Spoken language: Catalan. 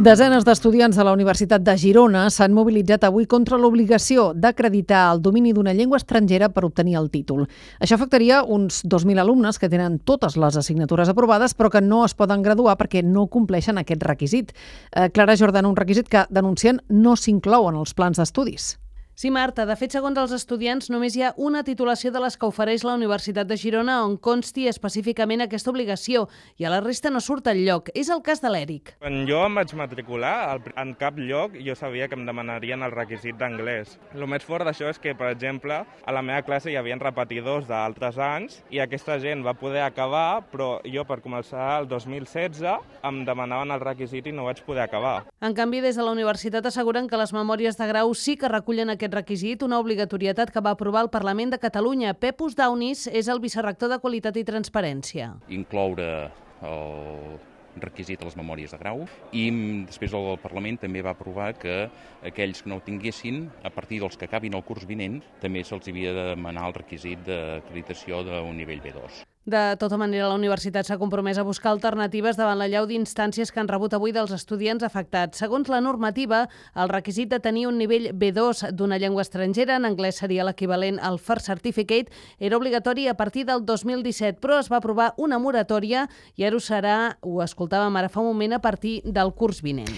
Desenes d'estudiants de la Universitat de Girona s'han mobilitzat avui contra l'obligació d'acreditar el domini d'una llengua estrangera per obtenir el títol. Això afectaria uns 2.000 alumnes que tenen totes les assignatures aprovades però que no es poden graduar perquè no compleixen aquest requisit. Clara Jordana, un requisit que denuncien no s'inclou en els plans d'estudis. Sí, Marta. De fet, segons els estudiants, només hi ha una titulació de les que ofereix la Universitat de Girona on consti específicament aquesta obligació i a la resta no surt enlloc. És el cas de l'Eric. Quan jo em vaig matricular, en cap lloc jo sabia que em demanarien el requisit d'anglès. El més fort d'això és que, per exemple, a la meva classe hi havia repetidors d'altres anys i aquesta gent va poder acabar, però jo per començar el 2016 em demanaven el requisit i no vaig poder acabar. En canvi, des de la universitat asseguren que les memòries de grau sí que recullen aquest requisit, una obligatorietat que va aprovar el Parlament de Catalunya. Pepus Daunis és el vicerrector de Qualitat i Transparència. Incloure el requisit a les memòries de grau i després el Parlament també va aprovar que aquells que no ho tinguessin, a partir dels que acabin el curs vinent, també se'ls havia de demanar el requisit d'acreditació d'un nivell B2. De tota manera, la universitat s'ha compromès a buscar alternatives davant la llau d'instàncies que han rebut avui dels estudiants afectats. Segons la normativa, el requisit de tenir un nivell B2 d'una llengua estrangera, en anglès seria l'equivalent al First Certificate, era obligatori a partir del 2017, però es va aprovar una moratòria i ara ho serà, ho escoltàvem ara fa un moment, a partir del curs vinent.